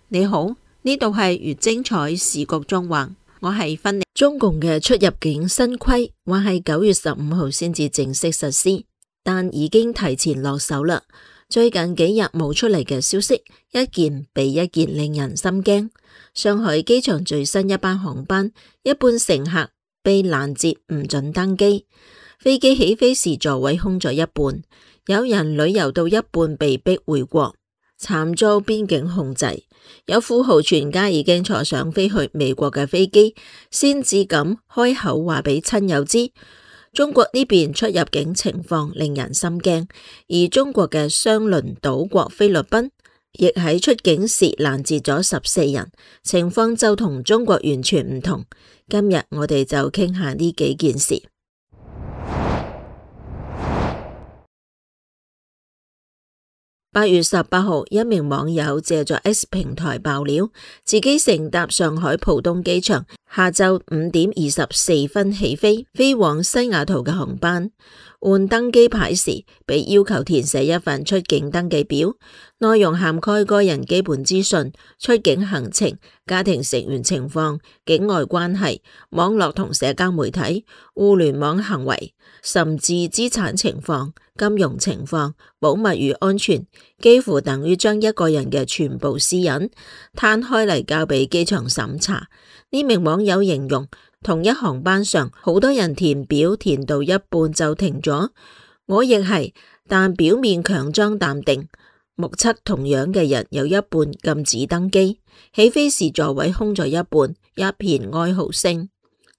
你好，呢度係越精彩時局縱橫，我係芬妮。中共嘅出入境新規話係9月15號先至正式實施，但已經提前落手啦。最近幾日冒出嚟嘅消息，一件比一件令人心驚。上海機場最新一班航班，一半乘客被攔截唔准登機，飛機起飛時座位空咗一半，有人旅遊到一半被逼回國，慘遭邊境控制。有富豪全家已經坐上飛去美國嘅飛機，先至敢開口話俾親友知。中國呢邊出入境情況令人心驚，而中國嘅相鄰島國菲律賓亦喺出境時攔截咗14人，情況就同中國完全唔同。今日我哋就傾下呢幾件事。8月18號，一名網友借咗 X 平台爆料，自己乘搭上海浦東機場下晝5點24分起飛，飛往西雅圖嘅航班。換登機牌時，被要求填寫一份出境登記表，內容涵蓋個人基本資訊、出境行程、家庭成員情況、境外關係、網絡同社交媒體、互聯網行為，甚至資產情況、金融情況、保密與安全，幾乎等於將一個人嘅全部私隱攤開嚟交俾機場審查。呢名網友形容，同一航班上好多人填表填到一半就停咗，我亦係，但表面強裝淡定。目測同樣嘅人有一半禁止登機，起飛時座位空咗一半，一片哀嚎聲。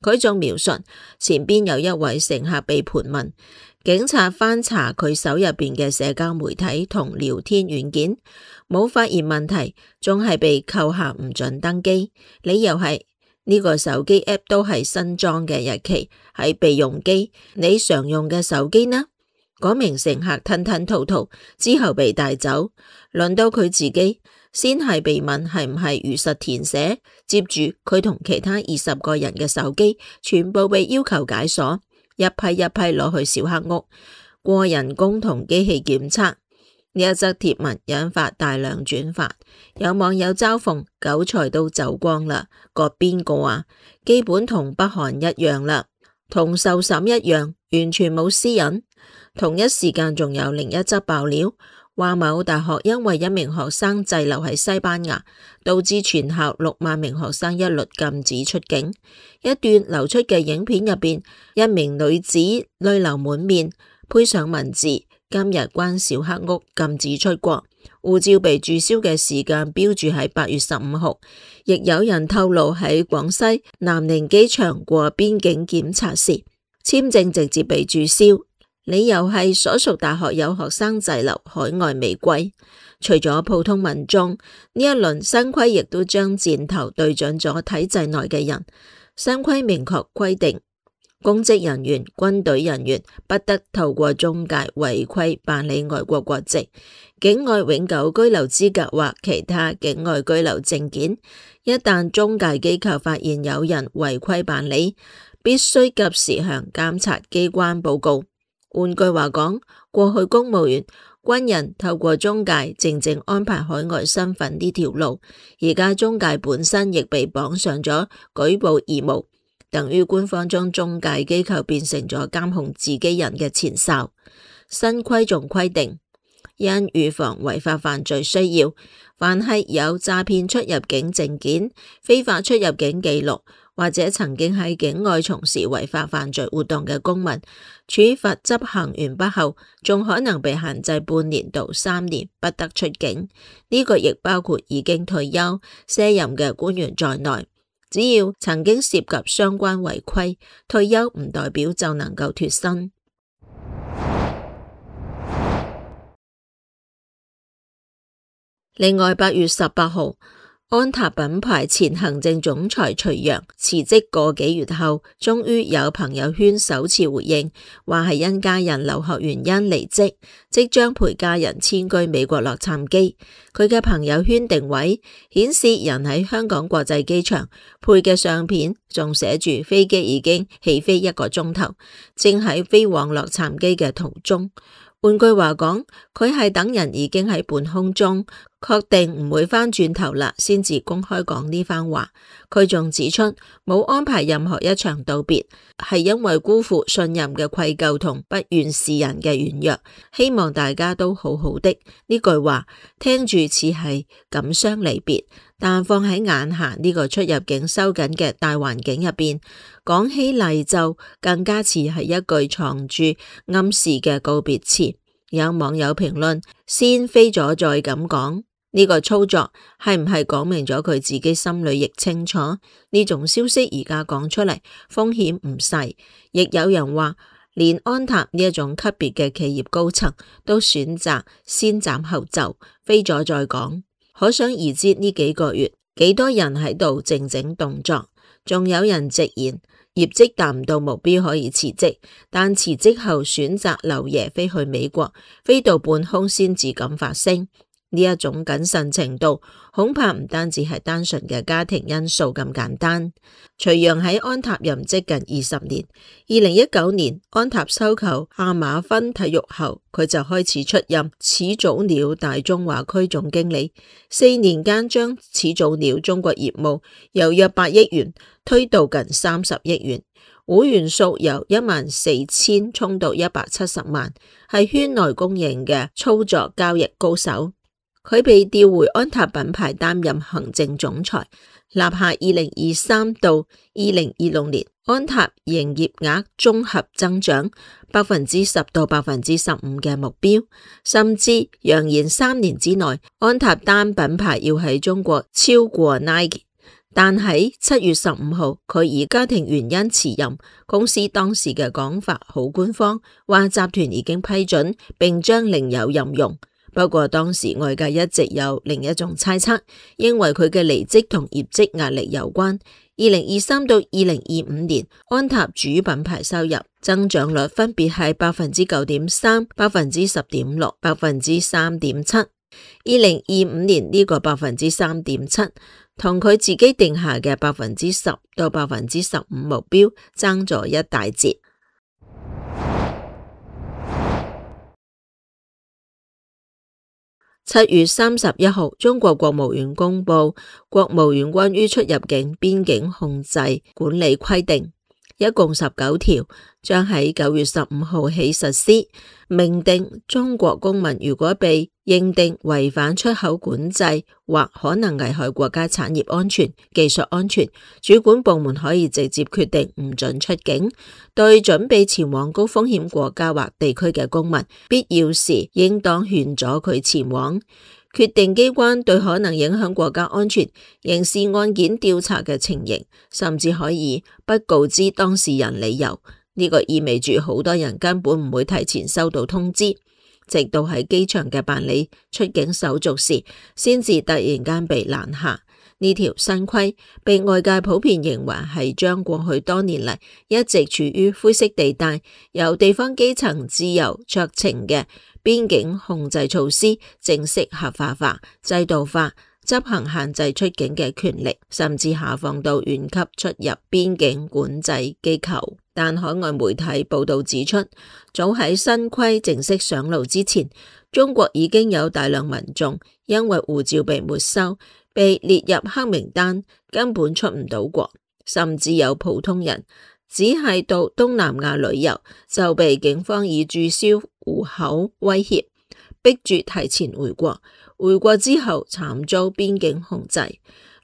佢仲描述前邊有一位乘客被盤問，警察翻查佢手入邊嘅社交媒體同聊天軟件，冇發現問題，仲係被扣下唔准登機，理由係呢個手機 app 都係新裝嘅，日期係備用機，你常用嘅手機呢？嗰名乘客吞吞吐吐之後被帶走，輪到佢自己，先係被問係唔係如實填寫，接住佢同其他20個人嘅手機全部被要求解鎖，一批一批攞去小黑屋過人工同機器檢測。呢一則貼文引發大量轉發，有網友嘲諷韭菜都走光啦，割邊個啊？基本同北韓一樣啦，同受審一樣，完全冇私隱。同一時間仲有另一則爆料，話某大學因為一名學生滯留喺西班牙，導致全校6萬名學生一律禁止出境。一段流出嘅影片入邊，一名女子淚流滿面，配上文字：今日關小黑屋，禁止出國。護照被註銷嘅時間標注喺8月15號。亦有人透露喺廣西南寧機場過邊境檢查時，簽證直接被註銷。理由係所屬大學有學生滯留海外未歸。除咗普通民眾，呢一輪新規亦都將箭頭對準咗體制內嘅人。新規明確規定，公職人員、軍隊人員不得透過中介違規辦理外國國籍、境外永久居留資格或其他境外居留證件。一旦中介機構發現有人違規辦理，必須及時向監察機關報告。換句話講，過去公務員、軍人透過中介正正安排海外身份呢條路，而家中介本身亦被綁上咗舉報義務，等於官方將中介機構變成咗監控自己人嘅前哨。新規仲規定，因預防違法犯罪需要，凡係有詐騙出入境證件、非法出入境記錄，或者曾經喺境外從事違法犯罪活動嘅公民，處罰執行完畢後，仲可能被限制半年到3年不得出境。呢個亦包括已經退休卸任嘅官員在內。只要曾經涉及相關違規，退休唔代表就能夠脫身。另外，8月18號，安踏品牌前行政總裁徐陽辭職個幾月後，終於有朋友圈首次回應，話係因家人留學原因離職，即將陪家人遷居美國洛杉磯。佢嘅朋友圈定位顯示人喺香港國際機場，配嘅相片仲寫住飛機已經起飛1個鐘頭，正喺飛往洛杉磯嘅途中。換句話講，佢係等人已經喺半空中確定唔會返轉頭啦，先至公開講呢番話。佢仲指出，冇安排任何一場道別，係因為辜負信任嘅愧疚同不願示人嘅軟弱，希望大家都好好的。呢句話聽住似係感傷離別，但放喺眼下呢個出入境收緊嘅大環境入邊，講起嚟就更加似係一句藏住暗示嘅告別詞。有網友評論，先飛咗再咁講，呢個操作係唔係講明咗佢自己心裏亦清楚？呢種消息而家講出嚟，風險唔細。亦有人話，連安踏呢一種級別嘅企業高層都選擇先斬後奏，飛咗再講。可想而知呢幾個月幾多人喺度靜靜動作，仲有人直言業績達唔到目標可以辭職，但辭職後選擇留爺飛去美國，飛到半空先至敢發聲。呢一種謹慎程度，恐怕唔單止係單純嘅家庭因素咁簡單。徐陽喺安踏任職近20年，2019年安踏收購亞馬遜體育後，佢就開始出任始祖鳥大中華區總經理，4年間將始祖鳥中國業務由約8億元推到近30億元，會員數由14000衝到170萬，係圈內公認嘅操作交易高手。佢被調回安踏品牌擔任行政總裁，立下2023到2026年安踏營業額綜合增長10%到15%嘅目標，甚至揚言3年之內安踏單品牌要喺中國超過 Nike。但喺7月15號，佢以家庭原因辭任，公司當時嘅講法好官方，話集團已經批准並將另有任用。不過當時外界一直有另一種猜測，認為佢嘅離職同業績壓力有關。2023到2025年，安踏主品牌收入增長率分別係9.3%、10.6%、3.7%。2025年呢個3.7%，同佢自己定下嘅10%到15%目標爭咗一大截。7月31號，中國國務院公布國務院關於出入境邊境控制管理規定，一共19條，將喺9月15號起實施。明定中國公民如果被認定違反出口管制或可能危害國家產業安全、技術安全，主管部門可以直接決定唔准出境。對準備前往高風險國家或地區嘅公民，必要時應當勸阻佢前往。決定機關對可能影響國家安全刑事案件調查嘅情形，甚至可以不告知當事人理由。呢個意味住好多人根本唔會提前收到通知，直到喺機場嘅辦理出境手續時，先至突然間被攔下。呢條新規被外界普遍認為係將過去多年嚟一直處於灰色地帶，由地方基層自由酌情嘅邊境控制措施正式合法化、制度化，執行限制出境嘅權力，甚至下放到縣級出入邊境管制機構。但海外媒體報道指出，早喺新規正式上路之前，中國已經有大量民眾因為護照被沒收，被列入黑名單，根本出唔到國。甚至有普通人只係到東南亞旅遊，就被警方以註銷戶口威脅，逼住提前回國。回國之後慘遭邊境控制。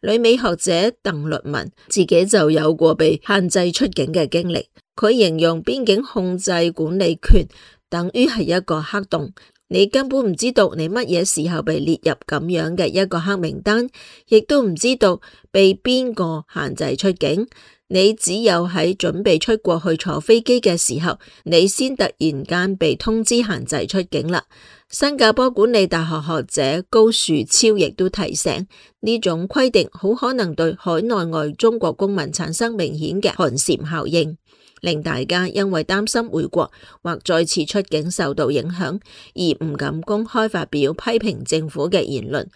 旅美學者鄧律文自己就有過被限制出境嘅經歷。佢形容邊境控制管理權等於係一個黑洞，你根本唔知道你乜嘢時候被列入咁樣嘅一個黑名單，亦都唔知道被邊個限制出境。你只有喺準備出國去坐飛機嘅時候，你先突然間被通知限制出境啦。新加坡管理大學學者高樹超亦都提醒，呢種規定好可能對海內外中國公民產生明顯嘅寒蟬效應，令大家因為擔心回國或再次出境受到影響，而唔敢公開發表批評政府嘅言論。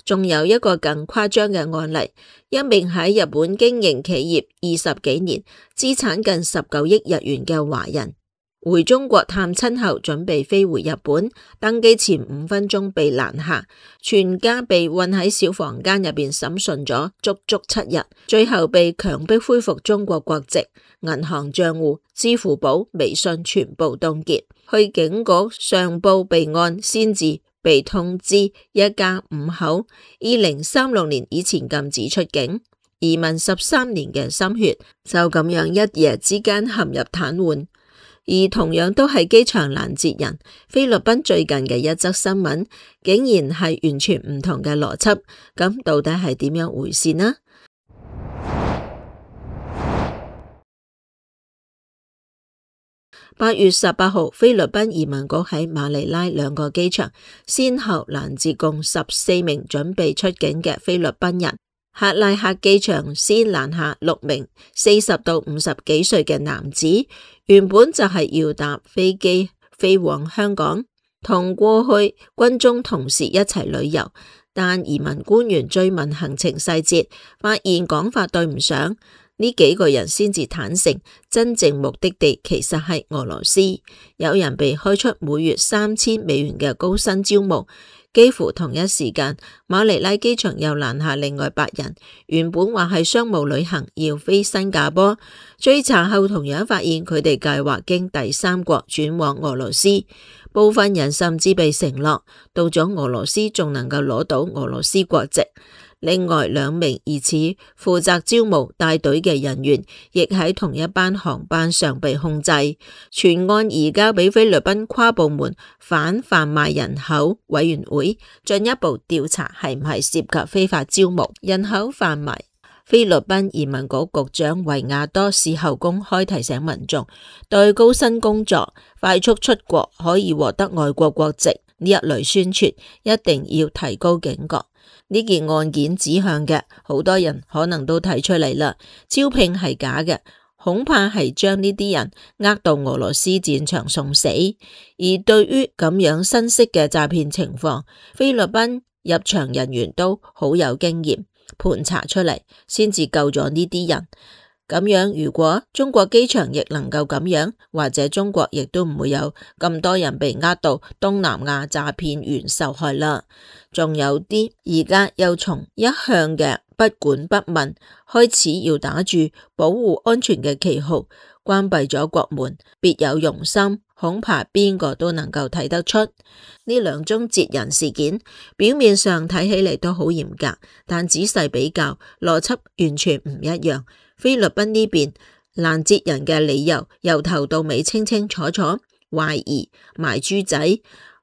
仲有一個更誇張嘅案例，一名喺日本經營企業20幾年、資產近19億日元嘅華人，回中國探親後，準備飛回日本，登機前5分鐘被攔下，全家被困喺小房間入邊審訊咗足足7日，最後被強迫恢復中國國籍，銀行賬戶、支付寶、微信全部凍結，去警局上報備案先至被通知一家5口2036年以前禁止出境，移民13年嘅心血就咁樣一夜之間陷入癱瘓。而同樣都係機場攔截人，菲律賓最近嘅一則新聞竟然係完全唔同嘅邏輯，咁到底係點樣回事呢？8月18號，菲律賓移民局喺馬尼拉2個機場先後攔截共14名準備出境嘅菲律賓人。克拉克機場先攔下6名40到50幾歲嘅男子，原本就係要搭飛機飛往香港，同過去軍中同事一齊旅遊，但移民官員追問行程細節，發現講法對唔上，呢幾個人先至坦承真正目的地其實係俄羅斯，有人被開出每月3000美元嘅高薪招募。幾乎同一時間，馬尼拉機場又攔下另外8人，原本話係商務旅行要飛新加坡，追查後同樣發現佢哋計劃經第三國轉往俄羅斯，部分人甚至被承諾到咗俄羅斯仲能夠攞到俄羅斯國籍。另外2名疑似負責招募帶隊嘅人員，亦喺同一班航班上被控制。全案移交俾菲律賓跨部門反販賣人口委員會進一步調查，係唔係涉及非法招募、人口販賣。菲律賓移民局局長維亞多事後公開提醒民眾，對高薪工作、快速出國可以獲得外國國籍呢一類宣傳，一定要提高警覺。呢件案件指向嘅，好多人可能都睇出嚟啦，招聘係假嘅，恐怕係將呢啲人呃到俄羅斯戰場送死。而對於咁樣新式嘅詐騙情況，菲律賓入場人員都好有經驗，盤查出嚟先至救咗呢啲人。咁樣，如果中國機場亦能夠咁樣，或者中國亦都唔會有咁多人被呃到東南亞詐騙員受害啦。仲有啲而家又從一向嘅不管不問，開始要打住保護安全嘅旗號，關閉咗國門，別有用心，恐怕邊個都能夠睇得出。呢2宗截人事件，表面上睇起嚟都好嚴格，但仔細比較，邏輯完全唔一樣。菲律賓呢邊攔截人嘅理由由頭到尾清清楚楚，懷疑賣豬仔，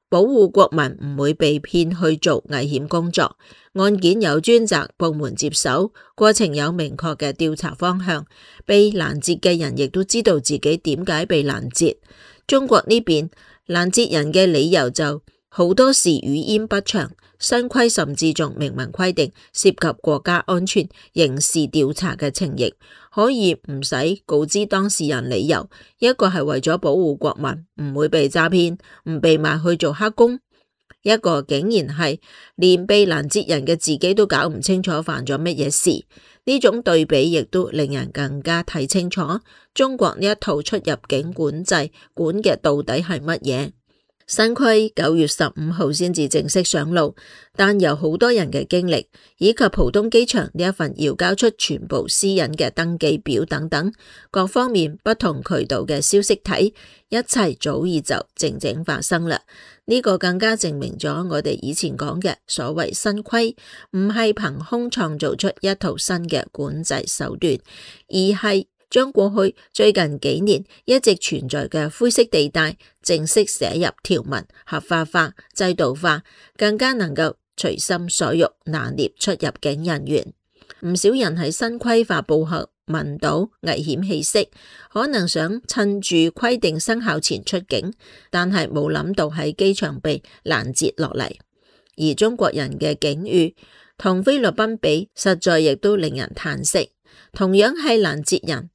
保護國民唔會被騙去做危險工作。案件有專責部門接手，過程有明確嘅調查方向，被攔截嘅人亦都知道自己點解被攔截。中國呢邊攔截人嘅理由就好多時語焉不詳，新規甚至仲明文規定涉及國家安全、刑事調查嘅情形，可以唔使告知當事人理由。一個係為咗保護國民唔會被詐騙，唔被賣去做黑工；一個竟然係連被攔截人嘅自己都搞唔清楚犯咗乜嘢事。呢種對比亦都令人更加睇清楚中國呢一套出入境管制管嘅到底係乜嘢。新規9月15號先至正式上路，但由好多人嘅經歷，以及浦東機場呢一份要交出全部私隱嘅登記表等等，各方面不同渠道嘅消息睇，一切早已就靜靜發生啦。呢個更加證明咗我哋以前講嘅所謂新規，唔係憑空創造出一套新嘅管制手段，而係將過去最近幾年一直存在嘅灰色地帶正式寫入條文，合法化、制度化，更加能夠隨心所欲拿捏出入境人員。唔少人喺新規發布後聞到危險氣息，可能想趁住規定生效前出境，但係冇諗到喺機場被攔截落嚟。而中國人嘅境遇同菲律賓比，實在亦都令人嘆息。同樣係攔截人，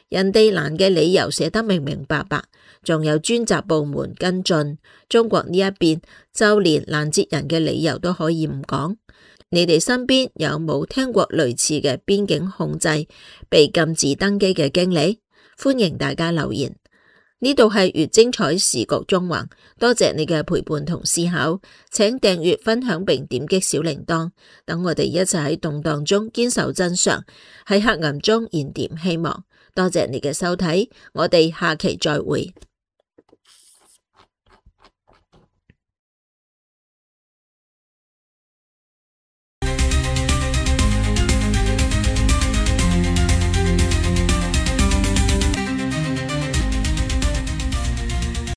人哋攔嘅理由寫得明明白白，仲有專責部門跟進。中國呢一邊就連攔截人嘅理由都可以唔講。你哋身邊有冇聽過類似嘅邊境控制、被禁止登機嘅經歷？歡迎大家留言。呢度係越精彩時局縱橫，多謝你嘅陪伴同思考，請訂閱、分享並點擊小鈴鐺，等我哋一齊喺動盪中堅守真相，喺黑暗中燃點希望。多謝你嘅收睇，我哋下期再會。